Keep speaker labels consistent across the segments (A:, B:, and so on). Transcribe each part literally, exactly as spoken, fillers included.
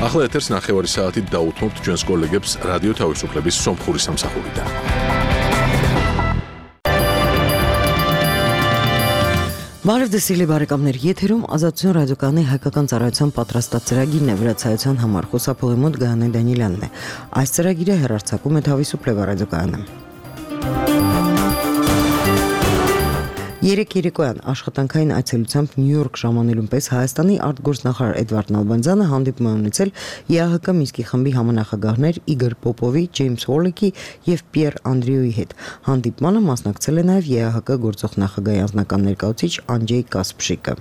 A: ახლა ეთერს ნახევარი საათით დაუთმობთ ჩვენს კოლეგებს რადიო თავისუფლების სომხური სამსახურიდან.
B: Բարև ձեզ սիրելի բարեկամներ, եթերում Ազատություն ռադիոկայանի հայկական ծառայության պատրաստած ծրագիրն է, վրացայության համար խոսափողի մոտ Գայանե Դանիելյանն է։ Այս ծրագիրը հեռարձակում է Თავისუფლება ռադիոկայանը։ Երեք երեկոյան աշխատանքային այցելությամբ Նյու Յորք ժամանելուն պես Հայաստանի արտգործնախարար Էդվարդ Նալբանդյանը հանդիպում է ունեցել ԵԱՀԿ Մինսկի խմբի համանախագահներ Իգոր Պոպովի, Ջեյմս Հոլլեկի եւ Պիեր Անդրեուի հետ։ Հանդիպմանը մասնակցել է նաեւ ԵԱՀԿ գործող նախագահի անձնական ներկայացուցիչ Անջեյ Կասպշիկը։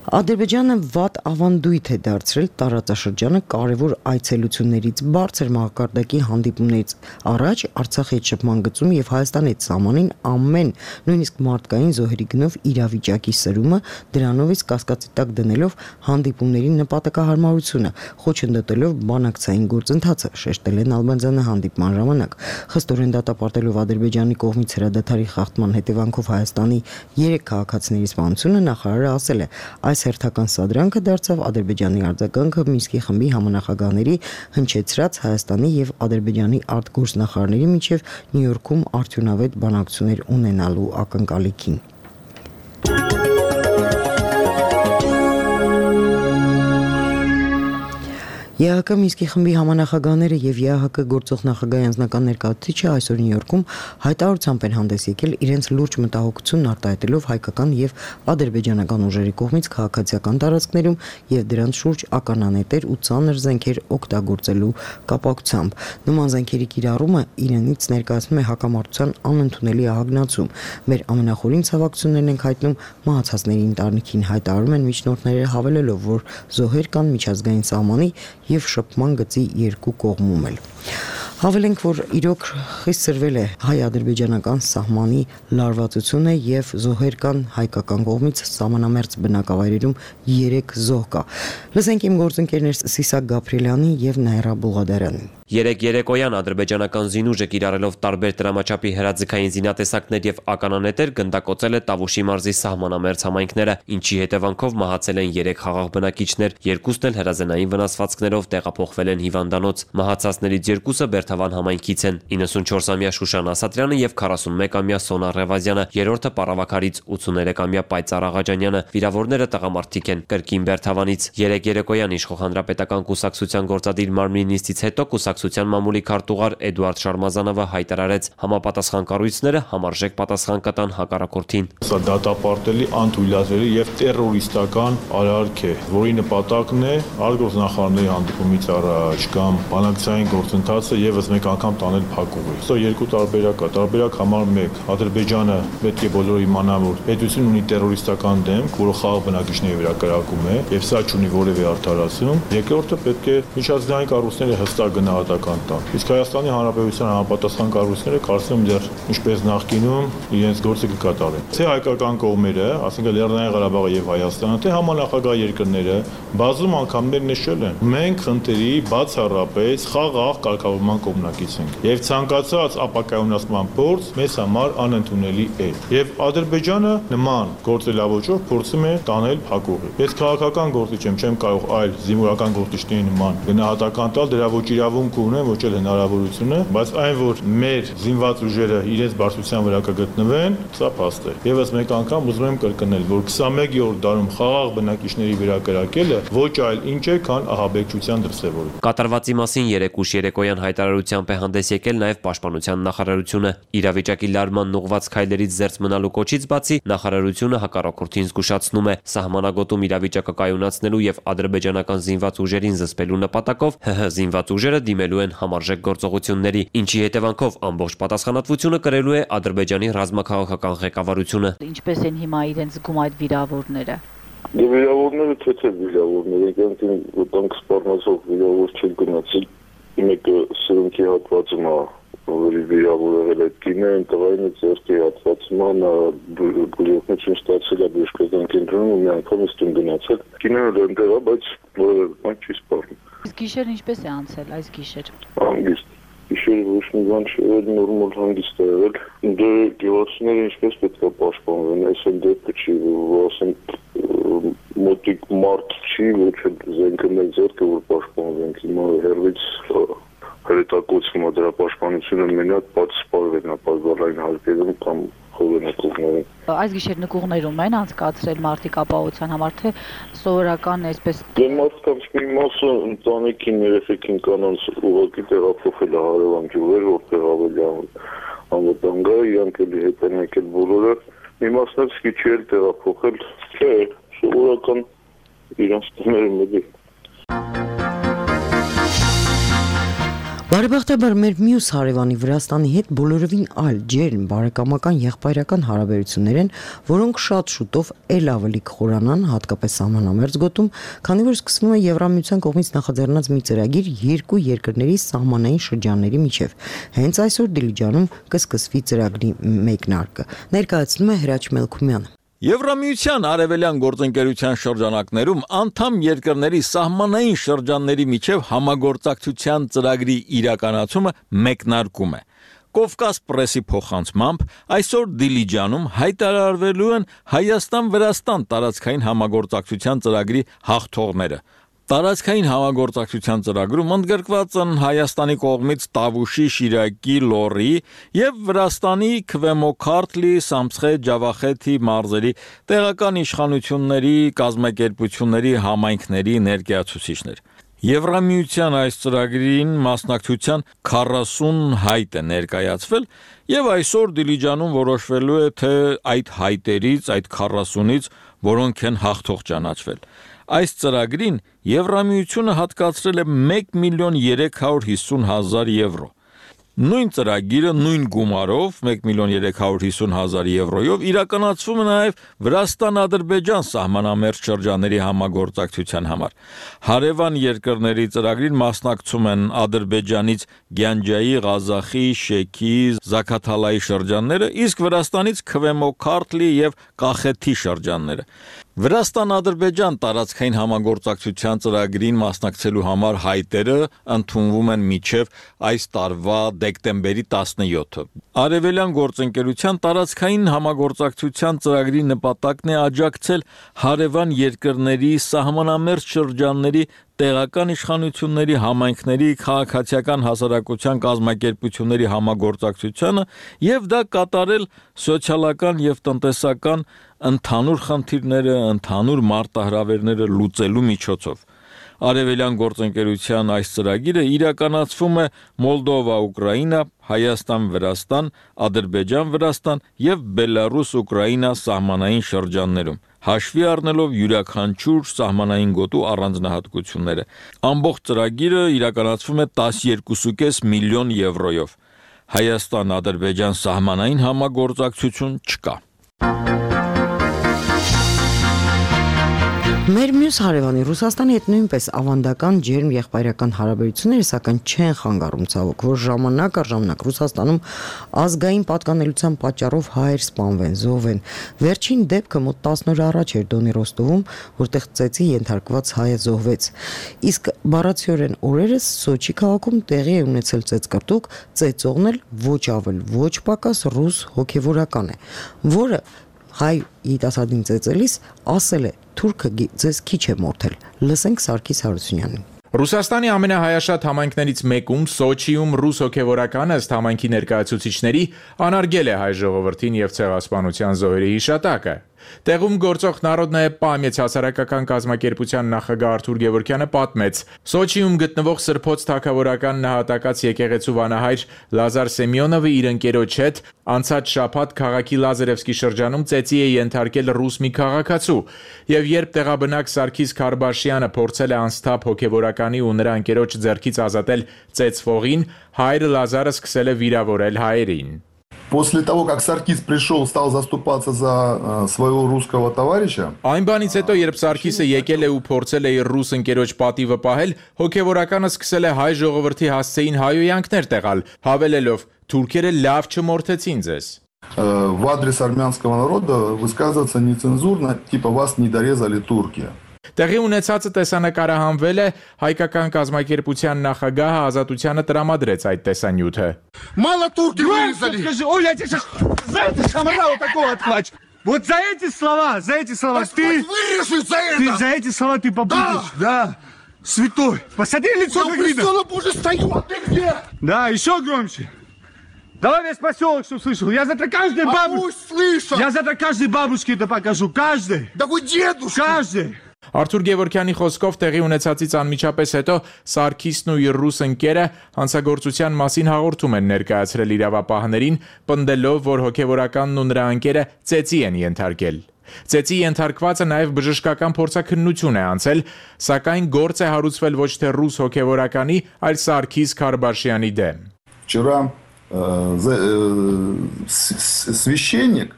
B: Ադրբեջանը վատ ավանդույթ է դարձրել տարածաշրջանը կարևոր այցելություններից բարձր մակարդակի հանդիպումներից առաջ Արցախի հետ շփման գծում եւ Հայաստանի հետ սահմանին ամեն նույնիսկ մարդկային զոհերի գնով իրավիճակի սրումը դրանով իսկ կասկածի տակ դնելով հանդիպումների նպատակահարմարությունը խոչընդոտելով բանակցային գործընթացը շեշտել է Նալբանդյանը հանդիպման ժամանակ խստորեն դատապարտելով Ադրբեջանի կողմից հրադադարի խախտման հետևանքով Հայաստանի երեք քաղաքացիների սպանությունը նախարարը ասել է Այս հերթական սադրանքը դարձավ Ադրբեջանի արձագանքը Մինսկի խմբի համանախագահների հնչեցրած Հայաստանի եւ Ադրբեջանի արտգործնախարարների միջև Նյու Յորքում արդյունավետ բանակցություններ ունենալու ակնկալիքին։ ԵԱՀԿ Մինսկի խմբի համանախագահները եւ ԵԱՀԿ գործող նախագահի անձնական ներկայացուցիչը այսօր Նյու Յորքում հայտարարությամբ են հանդես եկել իրենց լուրջ մտահոգությունն արտահայտելով հայկական եւ ադրբեջանական ուժերի կողմից քաղաքացիական տարածքներում եւ դրանց շուրջ ականանետեր ու ծանր զենքեր օգտագործելու կապակցությամբ։ Նման զենքերի կիրառումը իրենից ներկայացնում է հակամարտության անընդունելի ահագնացում։ Մեր ամենախորին ցավակցություններն ենք հայտնում մահացածների ընտանիքին, հայտարարում են միջնորդները հավելելով, որ զոհեր կան միջազգային սահմանի եւ շփման գծի երկու կողմում էլ։ Հավելենք, որ իրոք խիստ սրվել է հայ-ադրբեջանական սահմանի լարվածությունը եւ զոհեր կան հայկական կողմից սահմանամերձ բնակավայրերում երեք զոհ կա։ Լսենք իմ գործընկերներ Սիսակ Գաբրիելյանի եւ Նայրա Բուղադարյանի։
C: Երեք երեկոյան ադրբեջանական զինուժը կիրառելով տարբեր դրամաչափի հրաձգային զինատեսակներ եւ ականանետեր գնդակոծել է Տավուշի մարզի սահմանամերձ համայնքները, ինչի հետևանքով մահացել են երեք խաղաղ բնակիչներ, երկուսն էլ հրազենային վնասվածքներով տեղափոխվել են հիվանդանոց։ Մահացածներից երկուսը Բերթավան համայնքից են՝ իննսունչորսամյա Շուշան Ասատրյանը եւ քառասունմեկամյա Սոնա Ռևազյանը, երրորդը Պարավաքարից ութսուներեքամյա Պայծառ Աղաջանյանը։ Վիրավորները տղամարդիկ են կրկին Բերթավանից։ Երեք երեկոյան Իշխող հանրապետական կուսակցության գործադիր մարմնի նիստից հետո կուսակցության մամուլի քարտուղար Էդուարդ Շարմազանովը հայտարարեց համապատասխան կառույցները համարժեք պատասխան կտան հակառակորդին։
D: Սա դատապարտելի, անթույլատրելի եւ տերորիստական արարք է, որի նպատակն է արտգործնախարարների հանդիպումից առաջ կամ բանակցային գործընթացը եւս մեկ անգամ տանել փակուղի։ Սա երկու տարբերակ է։ Տարբերակ համար մեկ Ադրբեջանը պետք է բոլորը իմանան, որ պետություն ունի տերորիստական դեմք, որը խաղաղ բնակիչների վրա կրակում է եւ սա չունի որևէ արդարացում։ Երկրորդը պետք է միջազգային կառույցները հստակ գնահատական տան։ Իսկ Հայաստանի Հանրապետության համապատասխան կառույցները կարծում եմ դեռ ինչպես նախկինում իրենց գործը կկատարեն։ Թե հայկական կողմերը, ասենք Լեռնային Ղարաբաղը եւ Հայաստանը, թե համանախագահ երկրները բազում անգամներ նշել են։ Մենք խնդրի բացառապես խաղաղ կարգավորման կողմնակից ենք եւ ցանկացած ապակայունացման փորձ մեզ համար անընդունելի է։ Եվ Ադրբեջանը նման գործելավոճով փորձում է տանել փակուղի։ Ես քաղաքական գործիչ եմ, չեմ կարող այլ զինվորական գործիչների նման գնահատական տալ, դրա ոչ իրավունք ունեն, ոչ էլ հնարավորությունը, բայց այն, որ մեր զինված ուժերը իրենց բարձրության վրա կգտնվեն, սա փաստ է։ Եվս մեկ անգամ ուզում եմ կրկնել, որ քսանմեկերորդ դարում խաղաղ բնակիչների վրա կրակելը ոչ այլ ինչ է, քան ահաբեկչության դրսևորում։
C: Կատարվածի մասին երեք ուշ երեկոյան հայտարարությամբ է հանդես եկել նաև Պաշտպանության նախարարությունը։ Իրավիճակի լարման ուղղված քայլերից զերծ մնալու կոչից բացի նախարարությունը հակառակորդին զգուշացնում է սահմանագոտում իրավիճակը կայունացնելու եւ ադրբեջանական զինված ուժերին զսպելու նպատակով ՀՀ զինված ուժերը դիմելու են համարժեք գործողությունների, ինչի հետևանքով ամբողջ պատասխանատվությունը կրելու է Ադրբեջանի ռազմաքաղաքական ղեկավարությունը։
E: Ինչպես են հիմա իրենց զգում այդ վիրավորները։
F: Վիրավորները թե թե վիրավորները, իրենք ոտնք սպառնացող վիրավոր չեն գնացել։ Մեկը սրունքի հատվածում է, որի վիրավոր եղել է կինը, տղային ձեռքի հատվածում նա բուժողություն ստացել է բժշկական կենտրոնում ու մի անգամ ստուն գնացել։ Կինը դեռ է, բայց որևէ բան չի սպառնում։
E: Իսկ գիշեր ինչպես է անցել այս գիշեր։
F: Հանգիստ։ Գիշեր ոչ մի բան չէր, նորմալ հանգիստ է եղել։ Դե գյուղացիները ինչպես պետք է պաշտպանվեն, այսօր դեպքը չի, որ ասենք մոտիկ մարդ չի, ոչ էլ զենքը մեր ձեռքը որ պաշտպանվենք, հիմա հերվից հրետակոծվում է դրա պաշտպանությունը մենակ բաց սպառվելն է բազմալայն հարկերում կամ խորհրդակողներում։
E: Այս գիշեր նկուղներում են անցկացրել մարդիկ ապահովության համար, թե սովորական այսպես։
F: Դե մարդկանց մի մասը ընտանիքին, երեխեքին կանանց ուղղակի տեղափոխել է հարևան գյուղեր, որտեղ ավելի անվտանգ է, իրանք էլի հետ են եկել բոլորը, մի մասն էլ սկիչի էլ տեղափոխել, չէ, սովորական իրանց տները մեկի։
B: Բարեբախտաբար մեր մյուս հարևանի Վրաստանի հետ բոլորովին այլ ջերմ բարեկամական եղբայրական հարաբերություններ են, որոնք շատ շուտով ել ավելի կխորանան, հատկապես սահմանամերձ գոտում, քանի որ սկսվում է Եվրամիության կողմից նախաձեռնած մի ծրագիր երկու երկրների սահմանային շրջանների միջև։ Հենց այսօր Դիլիջանում կսկսվի ծրագրի մեկնարկը։ Ներկայացնում է Հրաչ Մելքումյանը։
G: Եվրամիության արևելյան գործընկերության շրջանակներում անդամ երկրների սահմանային շրջանների միջև համագործակցության ծրագրի իրականացումը մեկնարկում է։ Կովկաս պրեսի փոխանցմամբ այսօր Դիլիջանում հայտարարվելու են Հայաստան-Վրաստան տարածքային համագործակցության ծրագրի հաղթողները։ Տարածքային համագործակցության ծրագրում ընդգրկված են Հայաստանի կողմից Տավուշի, Շիրակի, Լոռի եւ Վրաստանի Քվեմոքարթլի, Սամսխե, Ջավախեթի մարզերի տեղական իշխանությունների, կազմակերպությունների, համայնքների ներկայացուցիչներ։ Եվրամիության այս ծրագրին մասնակցության քառասուն հայտ է ներկայացվել եւ այսօր Դիլիջանում որոշվելու է թե այդ հայտերից, այդ քառասունից որոնք են հաղթող ճանաչվել։ Այս ծրագրին Եվրամիությունը հատկացրել է մեկ միլիոն երեք հարյուր հիսուն հազար եվրո։ Նույն ծրագիրը նույն գումարով մեկ միլիոն երեք հարյուր հիսուն հազար եվրոյով իրականացվում է նաև Վրաստան-Ադրբեջան սահմանամերձ շրջանների համագործակցության համար։ Հարևան երկրների ծրագրին մասնակցում են Ադրբեջանից Գյանջայի, Ղազախի, Շեքի, Զաքաթալայի շրջանները, իսկ Վրաստանից Քվեմոքարթլի եւ Կախեթի շրջանները։ Վրաստան-Ադրբեջան տարածքային համագործակցության ծրագրին մասնակցելու համար հայտերը ընդունվում են մինչև այս տարվա դեկտեմբերի տասնյոթը։ Արևելյան գործընկերության տարածքային համագործակցության ծրագրի նպատակն է աջակցել հարևան երկրների սահմանամերձ շրջանների տեղական իշխանությունների, համայնքների, քաղաքացիական հասարակության կազմակերպությունների համագործակցությանը եւ դա կատարել սոցիալական եւ տնտեսական ընդհանուր խնդիրները, ընդհանուր մարտահրավերները լուծելու միջոցով։ Արևելյան գործընկերության այս ծրագիրը իրականացվում է Մոլդովա-Ուկրաինա, Հայաստան-Վրաստան, Ադրբեջան-Վրաստան եւ Բելարուս-Ուկրաինա սահմանային շրջաններում, հաշվի առնելով յուրաքանչյուր սահմանային գոտու առանձնահատկությունները։ Ամբողջ ծրագիրը իրականացվում է տասներկու կես միլիոն եվրոյով։ Հայաստան-Ադրբեջան սահմանային համագործակցություն չկա։
B: Մեր մյուս հարևանի Ռուսաստանի հետ նույնպես ավանդական ջերմ եղբայրական հարաբերությունները, սակայն չեն խանգարում ցավոք, որ ժամանակ առ ժամանակ Ռուսաստանում ազգային պատկանելիության պատճառով հայեր սպանվեն, զոհվեն։ Վերջին դեպքը մոտ տասն օր առաջ էր Դոնի Ռոստովում, որտեղ ծեծի ենթարկված հայը զոհվեց։ Իսկ բառացիորեն օրերս Սոչի քաղաքում տեղի է ունեցել ծեծկռտուք, ծեծողն էլ ոչ ավել, ոչ պակաս ռուս հոգևորական է, որը հայ երիտասարդին ծեծելիս ասել է թուրքը ձեզ քիչ է մորթել։ Լսենք Սարգիս Հարությունյանին։
H: Ռուսաստանի ամենահայաշատ համայնքներից մեկում Սոչիում ռուս հոգևորականը ըստ համայնքի ներկայացուցիչների անարգել է հայ ժողովրդին եւ ցեղասպանության զոհերի հիշատակը։ Տեղում գործող Народная պամյաց հասարակական կազմակերպության նախագահ Արթուր Գևորգյանը պատմեց. Սոչիում գտնվող Սրբոց թագավորական նահատակած եկեղեցու վանահայր Լազար Սեմյոնովը իր ընկերոջ հետ անցած շաբաթ քաղաքի Լազարևսկի շրջանում ծեծի է ենթարկել ռուս մի քաղաքացու, եւ երբ տեղաբնակ Սարգիս Քարբաշյանը փորձել է անսթափ հոգևորականի ու նրա ընկերոջ ձեռքից ազատել ծեծվողին, հայրը Լազարը սկսել է վիրավորել հայերին։
I: После того, как Саркис пришел, стал заступаться за своего русского товарища.
H: Այն բանից հետո, երբ Սարգիսը եկել է ու փորձել է իր ռուս ընկերոջ պատիվը պահել, հոգևորականը սկսել է հայ ժողովրդի հասցեին հայոյանքներ տեղալ, հավելելով. «Թուրքերը լավ չմորթեցին ձեզ»։
I: В адрес армянского народа высказываться нецензурно, типа вас не дорезали турки.
H: Տեղի ունեցածը տեսանկարահանվել է, հայկական կազմակերպության նախագահը Ազատությանը տրամադրեց այդ տեսանյութը։
J: Мало турки вырезали. Скажи, ой, я тебе сейчас за это шамрала такого отхвачу. Вот за эти слова, за эти слова ты...
K: Вырежешь за это!
J: Ты за эти слова ты попутаешь, да. Святой. Посмотри лицо, как видно.
K: Я Боже стою, а ты где?
J: Да, еще громче. Давай весь поселок, чтобы слышал. Я завтра каждой бабушке...
K: Пусть слышат!
J: Я завтра каждой бабушке это покажу. Каждой.
K: Да вы дедушка!
J: Каждой.
H: Արթուր Գևորգյանի խոսքով տեղի ունեցածից անմիջապես հետո Սարգիսն ու իր ռուս ընկերը հանցագործության մասին հաղորդում են ներկայացրել իրավապահներին, պնդելով, որ հոգևորականն ու նրա ընկերը ծեծի են ենթարկել։ Ծեծի ենթարկվածը նաև բժշկական փորձաքննություն է անցել, սակայն գործ է հարուցվել ոչ թե ռուս հոգևորականի, այլ Սարգիս Քարբաշյանի դեմ։
I: Вчера э, за, э, священник,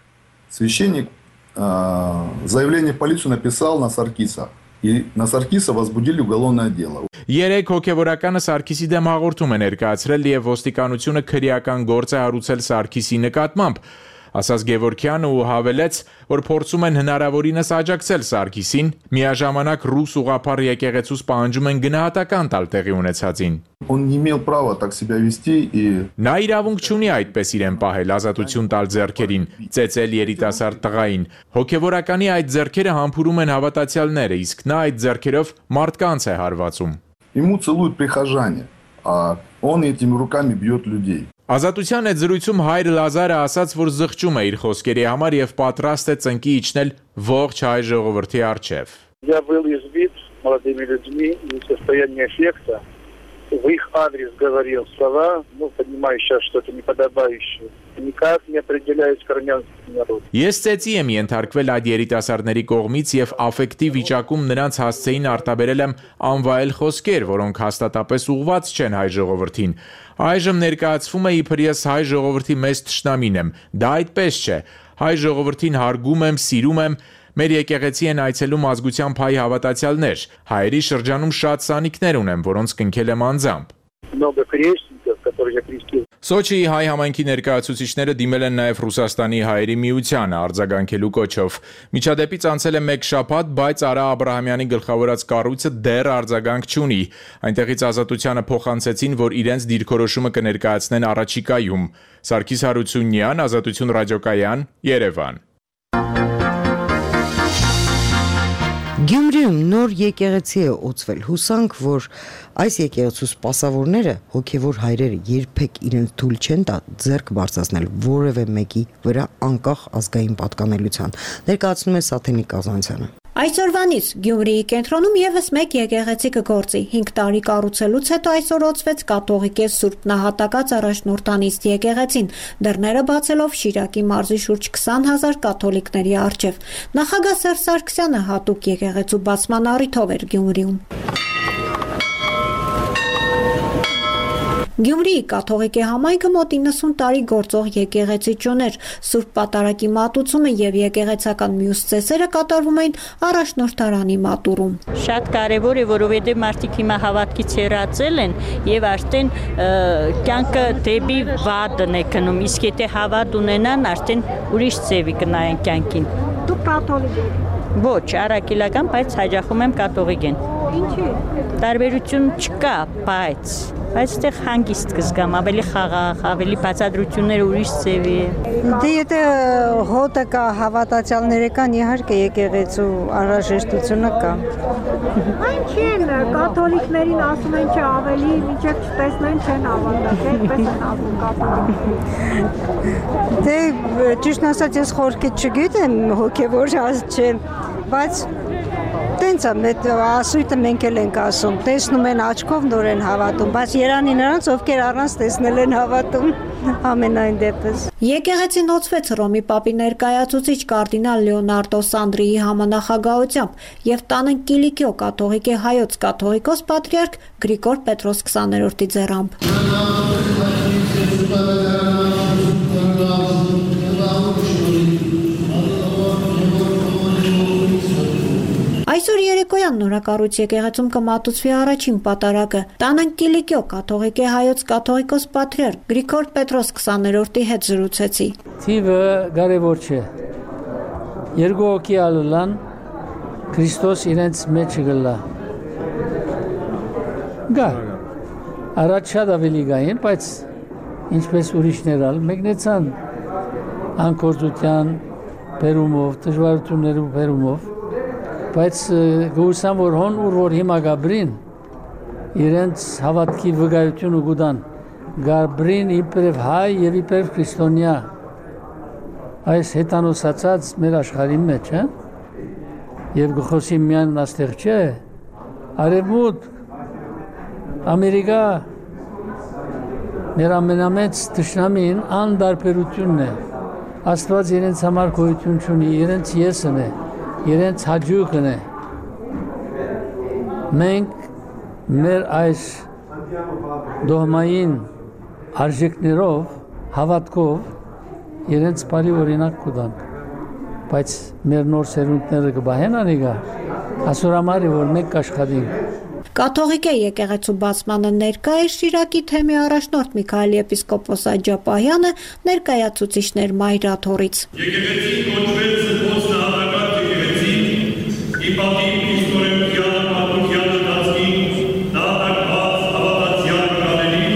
I: священник заявление в полицию написал на Саркиса. И на Саркиса возбудили уголовное дело.
H: Երեք հոգևորականը Սարգիսի դեմ հաղորդում է ներկայացրել եւ ոստիկանությունը քրեական գործ է հարուցել Սարգիսի նկատմամբ, ասաց Գևորգյանը ու հավելեց, որ փորձում են հնարավորինս աջակցել Սարգիսին, միաժամանակ ռուս ուղղափառ եկեղեցուց պահանջում են գնահատական տալ տեղի ունեցածին։
I: Он не имел права так себя вести и
H: Նա իրավունք չունի այդպես իրեն պահել, ազատություն տալ ձեռքերին, ծեծել երիտասարդ տղային։ Հոգևորականի այդ ձեռքերը համբուրում են հավատացյալները, իսկ նա այդ ձեռքերով մարդկանց է հարվածում։
I: ему целуют прихожане, а он этими руками бьет людей.
H: Ազատության այդ զրույցում հայր Լազարը ասաց, որ զղջում է իր խոսքերի համար եւ պատրաստ է ծնկի իջնել ողջ հայ ժողովրդի առջև։
F: Я был избит молодыми людьми, не в состоянии эффекта. В их адрес говорил слова, ну, понимаю сейчас, что это неподобающее. Никак не определяюсь к армянскому народу.
H: Ես ծեծի եմ ենթարկվել այդ երիտասարդների կողմից եւ աֆեկտիվ վիճակում նրանց հասցեին արտաբերել եմ անվայել խոսքեր, որոնք հաստատապես ուղղված չեն հայ ժողովրդին։ Այժմ ներկայացվում է իբրես հայ ժողովրդի մեծ թշնամին եմ։ Դա այդպես չէ։ Հայ ժողովրդին հարգում եմ, սիրում եմ։ Մեր եկեղեցի են այցելում ազգությամբ հայ հավատացյալներ։ Հայերի շրջանում շատ սանիկներ ունեմ, որոնց կնքել եմ անձամբ։
F: Много крестников, которые я крестил.
H: Սոչիի հայ համայնքի ներկայացուցիչները դիմել են նաև Ռուսաստանի հայերի միությանը արձագանքելու կոչով։ Միջադեպից անցել է մեկ շաբաթ, բայց Արա Աբրահամյանի գլխավորած կառույցը դեռ արձագանք չունի։ Այնտեղից Ազատությանը փոխանցեցին, որ իրենց դիրքորոշումը կներկայացնեն առաջիկայում։ Սարգիս Հարությունյան, Ազատություն ռադիոկայան, Երևան։
B: Գյումրիում նոր եկեղեցի է օծվել, հուսանք, որ այս եկեղեցու սպասավորները, հոգևոր հայրերը երբեք իրենց թույլ չեն տա ձեռք բարձրացնել որևէ մեկի վրա անկախ ազգային պատկանելիության, ներկայացնում է Սաթենիկ Կազանցյանը։
L: Այսօրվանից Գյումրիի կենտրոնում եւս մեկ եկեղեցի կգործի։ հինգ տարի կառուցելուց հետո այսօր օծվեց կաթողիկե Սուրբ Նահատակած Առաջնորդանիստ եկեղեցին, դռները բացելով Շիրակի մարզի շուրջ քսան հազար կաթոլիկների առջև։ Նախագահ Սերժ Սարգսյանը հատուկ եկեղեցու բացման առիթով էր Գյումրիում։ Գյումրիի կաթողիկե համայնքը մոտ իննսուն տարի գործող եկեղեցի չուներ։ Սուրբ Պատարագի մատուցումը եւ եկեղեցական մյուս ծեսերը կատարվում էին առաջնորդարանի մատուրում։
M: Շատ կարևոր է, որովհետեւ մարդիկ հիմա հավատքից հեռացել են եւ արդեն կյանքը դեպի վատն է գնում, իսկ եթե հավատ ունենան, արդեն ուրիշ ձևի կնայեն կյանքին։
L: Դուք կաթոլիկ եք։
M: Ոչ, առաքելական, բայց հաջախում եմ կաթողիկեն։
L: Ինչի՞։
M: Տարբերություն չկա, բայց բայց այդտեղ հանգիստ կզգամ, ավելի խաղաղ, ավելի բացատրությունները ուրիշ ձևի է։
N: Դե եթե հոտը կա, հավատացյալները կան, իհարկե եկեղեցու անհրաժեշտությունը կա։
L: Այն չեն, կաթոլիկներին ասում են չէ, ավելի մինչև չտեսնեն չեն հավատալ, այդպես են ասում կաթոլիկ։
N: Դե ճիշտ ասած ես խորքից չգիտեմ, հոգևոր չեմ, բայց տենց է, ասույթը մենք էլ ենք ասում, տեսնում են աչքով նոր են հավատում, բայց երանի նրանց, ովքեր առանց տեսնել են հավատում, ամենայն դեպս։
L: Եկեղեցին օծվեց Հռոմի Պապի ներկայացուցիչ կարդինալ Լեոնարդո Սանդրիի համանախագահությամբ եւ տանը Կիլիկիո կաթողիկե հայոց կաթողիկոս պատրիարք Գրիգոր Պետրոս քսաներորդի ձեռամբ։ Այսօր երեկոյան նորակառույց եկեղեցում կմատուցվի առաջին պատարագը։ Տանն Կիլիկիո կաթողիկե հայոց կաթողիկոս պատրիարք Գրիգոր Պետրոս քսաներորդի հետ զրուցեցի։
O: Թիվը կարևոր չէ։ Երկու հոգի ալան Քրիստոս իրենց մեջ գլա։ Գա։ Առաջ շատ ավելի գային, բայց ինչպես ուրիշներ ալ մեկնեցան անկորձության, բերումով, դժվարություններով բերումով, բայց գուսամ որ հոն ուր որ հիմա գաբրին իրենց հավատքի վկայությունը գուտան գաբրին իբրև հայ եւ իբրև քրիստոնյա այս հետանոսացած մեր աշխարհի մեջ, հա եւ գխոսի միան աստեղ չէ արևմուտ Ամերիկա մեր ամենամեծ դաշնամին անդարբերությունն է Աստված իրենց համար գոյություն ունի իրենց եսն է իրենց հաջողն է մենք մեր այս դողմային արժեքներով հավատքով իրենց բարի օրինակ կտան բայց մեր նոր սերունդները կբահեն անիգա ասորամարի որ մենք աշխատենք
L: Կաթողիկե եկեղեցու բացմանը ներկա է Շիրակի թեմի առաջնորդ Միքայել եպիսկոպոս Աջապահյանը ներկայացուցիչներ Մայրաթորից
P: Եկեղեցին կոչվել զբոց նահատակած եկեղեցին ի պատիվ իսկորենության պատմության ընթացքին նահատակված հավատացյալ կաների,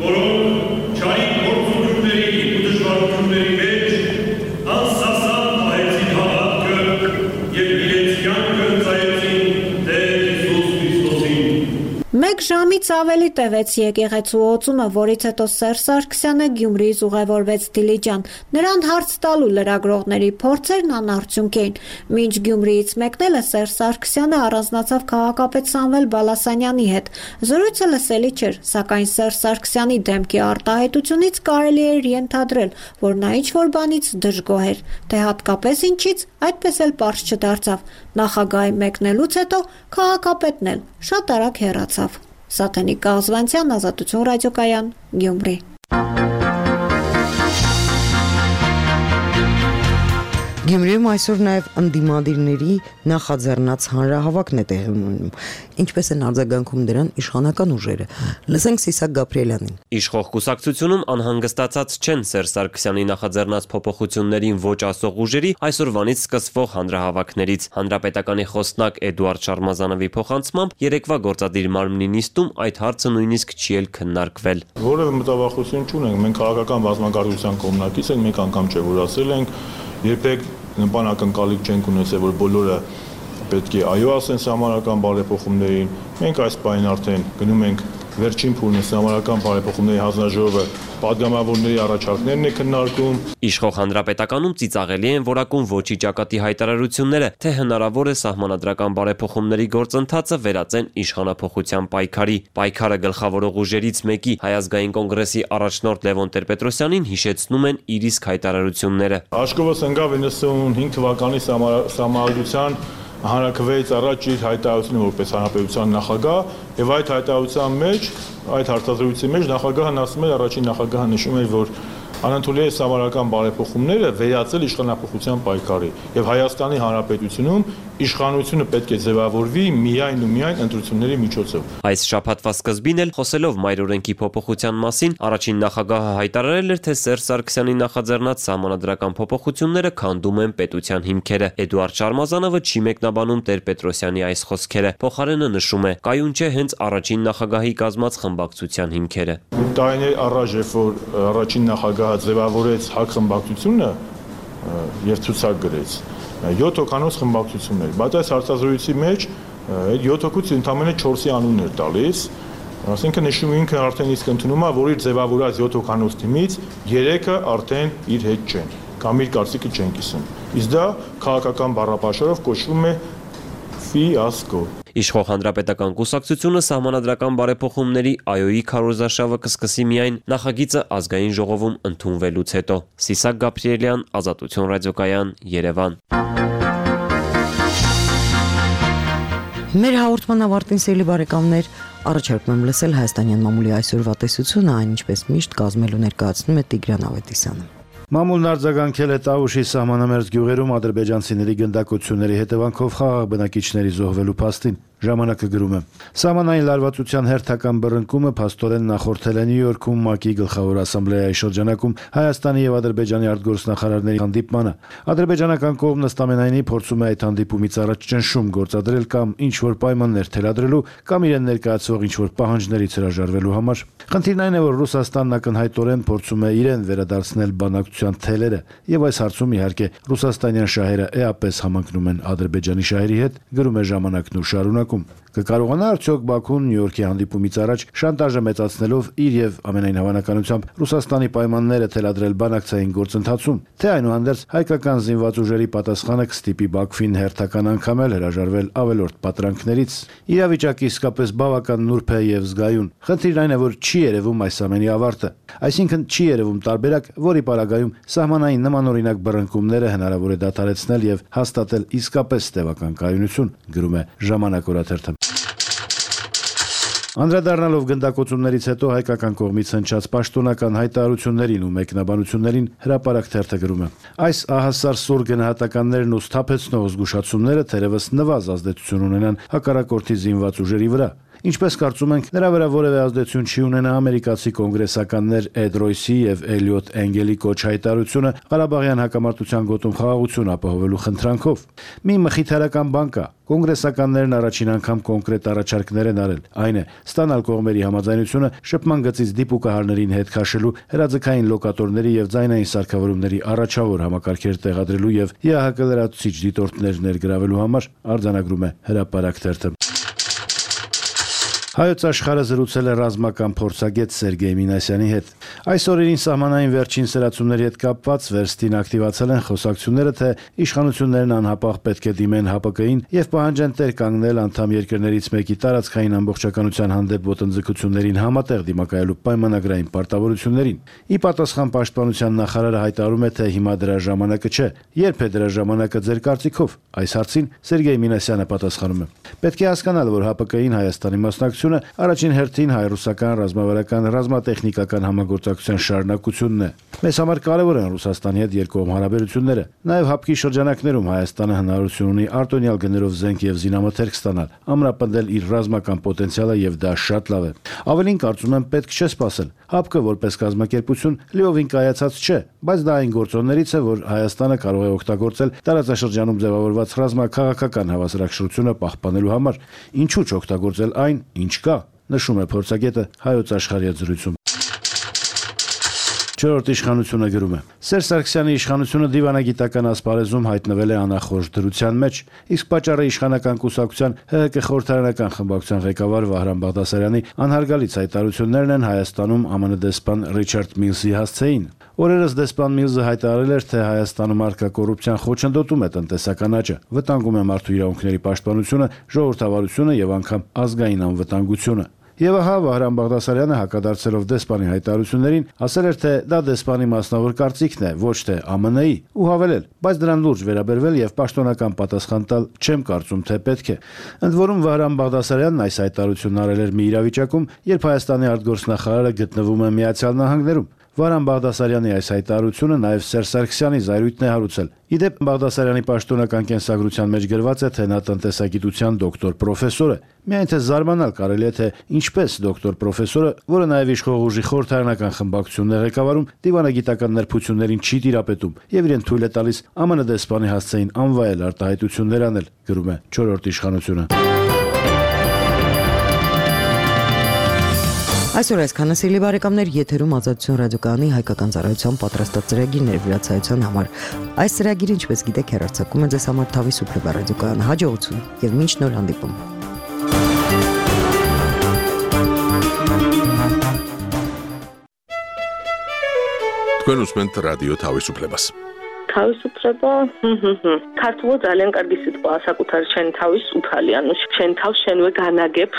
P: որոնք չարի գործունեությունների ու դժվարությունների մեջ անսասան պահեցին հավատքը և իրենց կյանքը ծայեցին Տեր
L: Մեկ ժամից ավելի տևեց եկեղեցու օծումը, որից հետո Սերժ Սարգսյանը Գյումրիից ուղևորվեց Դիլիջան։ Նրան հարց տալու լրագրողների փորձերն անարդյունք էին։ Մինչ Գյումրիից մեկնելը Սերժ Սարգսյանը առանձնացավ քաղաքապետ Սամվել Բալասանյանի հետ։ Զրույցը լսելի չէր, սակայն Սերժ Սարգսյանի դեմքի արտահայտությունից կարելի էր ենթադրել, որ նա ինչ-որ բանից դժգոհ էր, թե հատկապես ինչից, այդպես էլ պարզ չդարձավ։ Նախագահի մեկնելուց հետո քաղաքապետն էլ շատ արագ հեռացավ։ Սաթենիկ Կազվանցյան, Ազատություն ռադիոկայան, Գյումրի։
B: Գյումրիում այսօր նաև ընդդիմադիրների նախաձեռնած հանրահավաքն է տեղի ունենում։ Ինչպես են արձագանքում դրան իշխանական ուժերը։ Լսենք Սիսակ Գաբրիելյանին։
C: Իշխող կուսակցությունում անհանգստացած չեն Սերժ Սարգսյանի նախաձեռնած փոփոխություններին ոչ ասող ուժերի այսօրվանից սկսվող հանրահավաքներից։ Հանրապետականի խոսնակ Էդուարդ Շարմազանովի փոխանցմամբ երեկվա գործադիր մարմնի նիստում այդ հարցը նույնիսկ չի էլ քննարկվել։
D: Որևէ մտավախություն չունենք, մենք քաղաքական բազմակարգության կողմնակից ենք, մեկ անգամ չէ որ ասել ենք, երբեք նպանակընկալիք չենք ունեցել, որ բոլորը պետք է այո ասեն համարական բարեփոխումներին։ Մենք այս պայն արդեն գնում ենք վերջին փուլն է համարական բարեփոխումների հանձնաժողովը падգամավորների առաջարկներն է քննարկում։
C: Իշխող հանրապետականում ծիծաղելի են որակում ոչի ճակատի հայտարարությունները, թե հնարավոր է սահմանադրական բարեփոխումների գործընթացը վերածեն իշխանափոխության պայքարի։ Պայքարը գլխավորող ուժերից մեկի Հայ ազգային կոնգրեսի առաջնորդ Լևոն Տեր-Պետրոսյանին հիշեցնում են իր իսկ հայտարարությունները։
D: Աշկովս ընկավ իննսունհինգ թվականի սահմանադրության հանրաքվեից առաջ իր հայտարարությունը որպես հանրապետության նախագահ եւ այդ հայտարարության մեջ այդ հարցազրույցի մեջ նախագահն ասում էր առաջին նախագահը նշում էր որ անընդունելի է համարական բարեփոխումները վերածել իշխանափոխության պայքարի եւ Հայաստանի Հանրապետությունում իշխանությունը պետք է ձևավորվի միայն ու միայն ընտրությունների միջոցով։
C: Այս շաբաթվա սկզբին էլ խոսելով մայրօրենքի փոփոխության մասին առաջին նախագահը հայտարարել էր, թե Սերժ Սարգսյանի նախաձեռնած սահմանադրական փոփոխությունները քանդում են պետության հիմքերը։ Էդուարդ Շարմազանովը չի մեկնաբանում Տեր-Պետրոսյանի այս խոսքերը։ Փոխարենը նշում է, կայուն չէ հենց առաջին նախագահի կազմած խմբակցության հիմքերը։
D: Տարիներ առաջ երբ որ առաջին նախագահը ձևավորեց ՀԱԿ խմբակցությունը եւ ցուցակ գրեց յոթ հոգանոց խմբակցություններ, բայց այս հարցազրույցի մեջ այդ յոթ հոգուց ընդամենը չորսի անուն էր տալիս, ասենքը նշում ինքը արդեն իսկ ընդունում է, որ իր ձևավորած յոթ հոգանոց թիմից երեքը արդեն իր հետ չեն, կամ իր կարծիքը չեն կիսում։ Իսկ դա քաղաքական բառապաշարով կոչվում է ֆիասկո։
C: Իշխող հանրապետական կուսակցությունը սահմանադրական բարեփոխումների այոյի քարոզարշավը կսկսի միայն նախագիծը ազգային ժողովում ընդունվելուց հետո։ Սիսակ Գաբրիելյան, Ազատություն ռադիոկայան, Երևան։
B: Մեր հաղորդման ավարտին սիրելի բարեկամներ, առաջարկում եմ լսել հայաստանյան մամուլի այսօրվա տեսությունը, այն ինչպես միշտ կազմելու ներկայացնում է Տիգրան Ավետիսյանը։
Q: Մամուլն արձագանքել է Տավուշի սահմանամերձ գյուղերում ադրբեջանցիների գնդակոծությունների հետևանքով խաղաղ բնակիչների զոհվելու փաստին։ Ժամանակը գրում է. Սահմանային լարվածության հերթական բռնկումը փաստորեն նախորդել է Նյու Յորքում ՄԱԿ-ի գլխավոր ասամբլեայի շրջանակում Հայաստանի եւ Ադրբեջանի արտգործնախարարների հանդիպմանը։ Ադրբեջանական կողմն ըստամենայնի փորձում է այդ հանդիպումից առաջ ճնշում գործադրել կամ ինչ-որ պայմաններ թելադրելու կամ իրեն ներկայացվող ինչ-որ պահանջներից հրաժարվելու համար։ Խնդիրն այն է, որ Ռուսաստանն ակնհայտորեն փորձում է իրեն վերադարձնել բանակցության թելերը, եւ այս հարցում իհարկե ռուսաստանյան շահերը էապես համընկնում են Ադրբեջանի շահերի հետ, գրում է Ժամանակն ու շարունակում։ Կկարողանա արդյոք Բաքուն Նյու Յորքի հանդիպումից առաջ շանտաժը մեծացնելով իր եւ ամենայն հավանականությամբ Ռուսաստանի պայմանները թելադրել բանակցային գործընթացում, թե այնուհանդերձ հայկական զինված ուժերի պատասխանը կստիպի Բաքվին հերթական անգամ էլ հրաժարվել ավելորդ պատրանքներից։ Իրավիճակը իսկապես բավական նուրբ է եւ զգայուն։ Խնդիրն այն է, որ չի երևում այս ամենի ավարտը, այսինքն չի երևում տարբերակ, որի պարագայում սահմանային նմանօրինակ բռնկումները հնարավոր է դադարեցնել եւ հաստատել իսկապես տևական կայունություն, գրում է Ժամանակ օրաթերթը։ Անդրադառնալով գնդակոծումներից հետո հայկական կողմից հնչած պաշտոնական հայտարարություններին ու մեկնաբանություններին հրապարակ թերթը գրում է. Այս ահասար սուր գնահատականներն ու սթափեցնող զգուշացումները թերևս նվազ ազդեցություն ունենան հակառակորդի զինված ուժերի վրա։ Ինչպես կարծում ենք, նրա վրա որևէ ազդեցություն չի ունենա ամերիկացի կոնգրեսականներ Էդ Ռոյսի եւ Էլիոտ Էնգելի կոչ հայտարարությունը Ղարաբաղյան հակամարտության գոտում խաղաղություն ապահովելու խնդրանքով։ Մի մխիթարական բան կա. կոնգրեսականներն առաջին անգամ կոնկրետ առաջարկներ են արել, այն է ստանալ կողմերի համաձայնությունը շփման գծից դիպուկահարներին հետ քաշելու, հրաձգային լոկատորների եւ ձայնային սարքավորումների առաջավոր համակարգեր տեղադրելու եւ ԵԱՀԿ լրացուցիչ դիտորդներ ներգրավելու համար, արձանագրում է Հրապարակ թերթը։ Հայոց աշխարհը զրուցել է ռազմական փորձագետ Սերգեյ Մինասյանի հետ։ Այս օրերին սահմանային վերջին սրացումների հետ կապված վերստին ակտիվացել են խոսակցությունները, թե իշխանություններն անհապաղ պետք է դիմեն ՀԱՊԿ-ին եւ պահանջեն տեր կանգնել անդամ երկրներից մեկի տարածքային ամբողջականության հանդեպ ոտնձգություններին համատեղ դիմակայելու պայմանագրային պարտավորություններին։ Ի պատասխան պաշտպանության նախարարը հայտարարում է, թե հիմա դրա ժամանակը չէ։ Երբ է դրա ժամանակը ձեր կարծիքով։ Այս հարցին Սերգեյ Մինասյանը պատասխանում է. Պետք է հասկանալ, որ ՀԱՊԿ-ին Հայաստանի մասնակցությունը առաջին հերթին հայ-ռուսական ռազմավարական ռազմատեխնիկական համագործակցության շարունակությունն է։ Մեզ համար կարևոր են Ռուսաստանի հետ երկկողմ հարաբերությունները։ Նաև ՀԱՊԿ-ի շրջանակներում Հայաստանը հնարավորություն ունի արտոնյալ գներով զենք եւ զինամթերք ստանալ, ամրապնդել իր ռազմական պոտենցիալը եւ դա շատ լավ է։ Ավելին կարծում եմ պետք չէ սпасել։ ՀԱՊԿ-ը որպես կազմակերպություն լիովին կայացած չէ, բայց դա այն գործոններից է, որ Հայաստանը կարող է օգտագործել տարածաշրջանում ձևավորված ռազմաքաղաքական հավասարակշռությունը պահպանելու համար։ Ինչու՞ չօգտագործել այն, ինչ կա, նշում է փորձագետը Հայոց աշխարհի հետ զրույցում։ Չորրորդ իշխանությունը գրում է. Սերժ Սարգսյանի իշխանությունը դիվանագիտական ասպարեզում հայտնվել է անախորժ դրության մեջ, իսկ պատճառը իշխանական կուսակցության ՀՀԿ խորհրդարանական խմբակցության ղեկավար Վահրամ Բաղդասարյանի անհարգալից հայտարարություններն են Հայաստանում ԱՄՆ դեսպան Ռիչարդ Միլսի հասցեին։ Օրերս դեսպան Միլսը հայտարարել էր, թե Հայաստանում առկա կոռուպցիան խոչընդոտում է տնտեսական աճը, վտանգում է մարդու իրավունքների պաշտպանությունը, ժողովրդավարությունը եւ անգամ ազգային անվտանգությունը։ Եվ ահա Վահրամ Բաղդասարյանը հակադարձելով դեսպանի հայտարարություններին ասել էր, թե դա դեսպանի մասնավոր կարծիքն է, ոչ թե ԱՄՆ-ի, ու հավելել, բայց դրան լուրջ վերաբերվել եւ պաշտոնական պատասխան տալ չեմ կարծում, թե պետք է։ Ընդ որում Վահրամ Բաղդասարյանն այս հայտարարությունն արել էր մի իրավիճակում, երբ Հայաստանի արտգործնախարարը գտնվում է Միացյալ Նահանգներում։ Վահրամ Բաղդասարյանի այս հայտարարությունը նաև Սերժ Սարգսյանի զայրույթն է հարուցել։ Իդեպ Բաղդասարյանի պաշտոնական կենսագրության մեջ գրված է, թե նա տնտեսագիտության դոկտոր պրոֆեսոր է։ Միայն թե զարմանալ կարելի է, թե ինչպես դոկտոր պրոֆեսորը, որը նաև իշխող ուժի խորհրդարանական խմբակցությունն է ղեկավարում, դիվանագիտական նրբություններին չի տիրապետում եւ իրեն թույլ է տալիս ԱՄՆ դեսպանի հասցեին անվայել արտահայտություններ անել, գրում է չորրորդ իշխանությունը։
B: Այսօր այսքանը սիրելի բարեկամներ, եթերում Ազատություն ռադիոկայանի հայկական ծառայության պատրաստած ծրագիրն էր վիրացայության համար։ Այս ծրագիրը, ինչպես գիտեք, հեռարձակում է ձեզ համար Թավի Սուպրեբա ռադիոկայան հաջողություն եւ մինչ նոր հանդիպում։
A: Თქვენ ուսმენთ რადიო Თავის უფლებას.
R: თავისუფლება, ქართულად ძალიან კარგი სიტყვაა საკუთარ შენ თავის უფალი, ანუ შენ თავს შენვე განაგებ,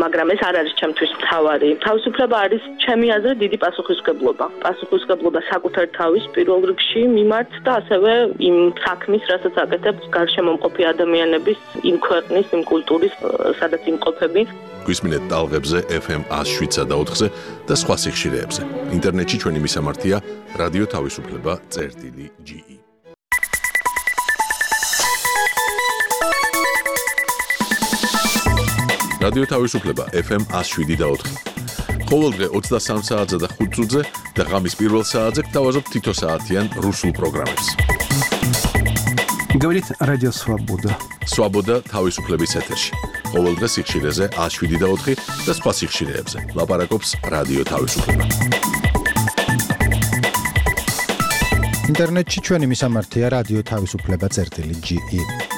R: მაგრამ ეს არ არის ჩემთვის მთავარი. თავისუფლება არის ჩემი აზრით დიდი პასუხისმგებლობა. პასუხისმგებლობა საკუთარ თავის პირველ რიგში მიმართ და ასევე იმ საქმის, რასაც აკეთებ გარშემომყოფი ადამიანების, იმ ქვეყნის, იმ კულტურის, სადაც იმყოფები.
A: გვისმინეთ ტალღებზე F M one oh seven და ოთხზე და სხვა სიხშირეებზე. ინტერნეტში ჩვენი მისამართია რადიო თავისუფლება წერტილი G E. რადიო თავისუფლება ეფ ემ one oh seven და four. ყოველდღე ოცდასამ საათზე და ხუთ წუთზე და ღამის პირველ საათზე გთავაზობთ თითო საათიან რუსულ პროგრამებს.
S: Говорит Радио Свобода.
A: Свобода თავისუფლების ეთერში. ყოველდღე სიხშირეზე one oh seven და four და სხვა სიხშირეებზე. ლაპარაკობს რადიო თავისუფლება.
T: ინტერნეტში ჩვენი მისამართია რადიო თავისუფლება წერტილი ჯი ი.